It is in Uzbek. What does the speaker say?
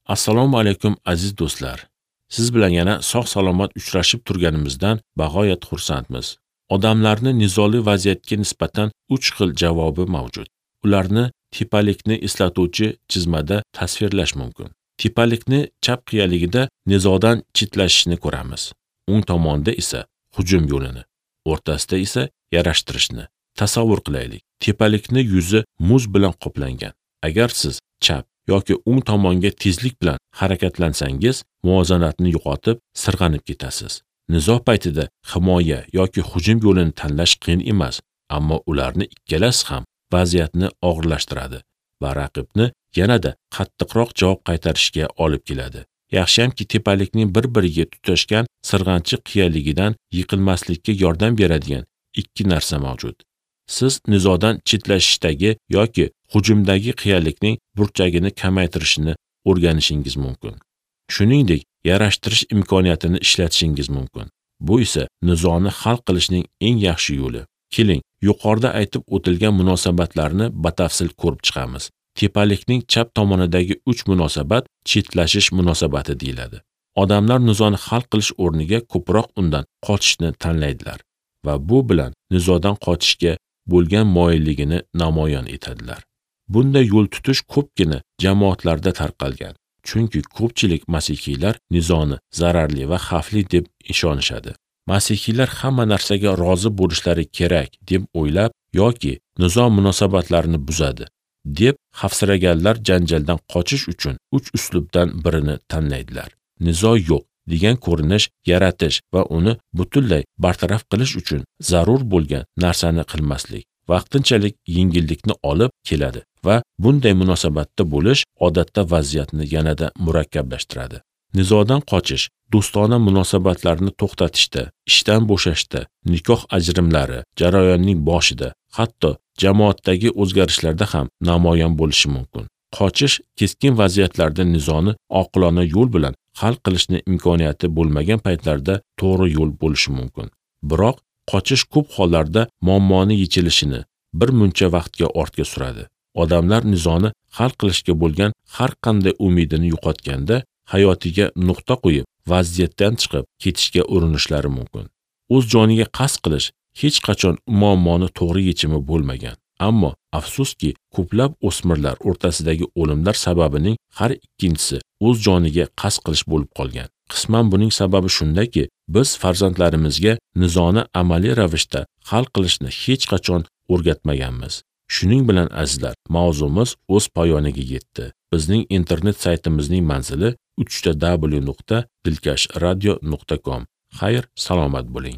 Assalomu alaykum aziz do'stlar. Siz bilan yana sog' salomat uchrashib turganimizdan bag'oyat xursandmiz. Odamlarni nizoli vaziyatga nisbatan 3 xil javobi mavjud. Ularni tepalikni eslatuvchi chizmada tasvirlash mumkin. Tepalikni chap qiyaligida nizodan chetlashishni ko'ramiz. O'ng tomonda esa hujum yo'lini, o'rtasida esa yarashtirishni. Tasavvur qilaylik. Tepalikni yuzi muz bilan qoplangan. Agar siz chap yoki o'ng tomonga tezlik bilan harakatlansangiz, muvozanatni yo'qotib, sirg'anib ketasiz. Nizo paytida himoya yoki hujum yo'lini tanlash qiyin emas, ammo ularni ikkalasi ham vaziyatni og'irlashtiradi va raqibni yanada qattiqroq javob qaytarishga olib keladi. Yaxshiyamki, tepalikning bir-biriga tutashgan sirg'anchiq qiyaligidan yiqilmaslikka yordam beradigan ikki narsa mavjud. Siz nizodan chetlashishdagi yoki hujumdagi qiyalikning burchagini kamaytirishni o'rganishingiz mumkin. Shuningdek, yarashtirish imkoniyatini ishlatishingiz mumkin. Bu esa nizoni hal qilishning eng yaxshi yo'li. Keling, yuqorida aytib o'tilgan munosabatlarni batafsil ko'rib chiqamiz. Tepalikning chap tomonidagi 3 munosabat chetlashish munosabati deyiladi. Odamlar nizoni hal qilish o'rniga ko'proq undan qochishni tanlaydilar va bu bilan nizodan qochishga bo'lgan moyilligini namoyon etadilar. Bunday yo'l tutish ko'pgina jamoatlarda tarqalgan. Chunki ko'pchilik masihiylar nizoni zararli va xavfli deb ishonishadi. Masihiylar hamma narsaga rozi bo'lishlari kerak deb o'ylab yoki nizo munosabatlarini buzadi deb xavfsiraganlar janjaldan qochish uchun 3 uslubdan birini tanlaydilar. Nizo yo'q degan ko'rinish yaratish va uni butunlay bartaraf qilish uchun zarur bo'lgan narsani qilmaslik vaqtinchalik yengillikni olib keladi va bunday munosabatda bo'lish odatda vaziyatni yanada murakkablashtiradi. Nizodan qochish do'stona munosabatlarni to'xtatishda, ishdan bo'shashda, nikoh ajrimlari jarayonining boshida, hatto jamoatdagi o'zgarishlarda ham namoyon bo'lishi mumkin. Qochish keskin vaziyatlarda nizoni oqilona yo'l bilan hal qilishni imkoniyati bo'lmagan paytlarda to'g'ri yo'l bo'lishi mumkin. Biroq qochish ko'p hollarda muammoni yechilishini bir muncha vaqtga ortga suradi. Odamlar nizoni hal qilishga bo'lgan har qanday umidini yo'qotganda hayotiga nuqta qo'yib, vaziyatdan chiqib ketishga urinishlari mumkin. O'z joniga qasd qilish hech qachon muammoni to'g'ri yechimi bo'lmagan. Ammo afsuski, ko'plab o'smirlar o'rtasidagi o'limlar sababining har ikkinchisi o'z joniga qasd qilish bo'lib qolgan. Qisman buning sababi shundaki, biz farzandlarimizga nizoni amaliy ravishda hal qilishni hech qachon o'rgatmaganmiz. Shuning bilan azizlar, mavzumiz o'z poyoniga yetdi. Bizning internet saytimizning manzili www.dilkashradio.com. Xayr, salomat bo'ling.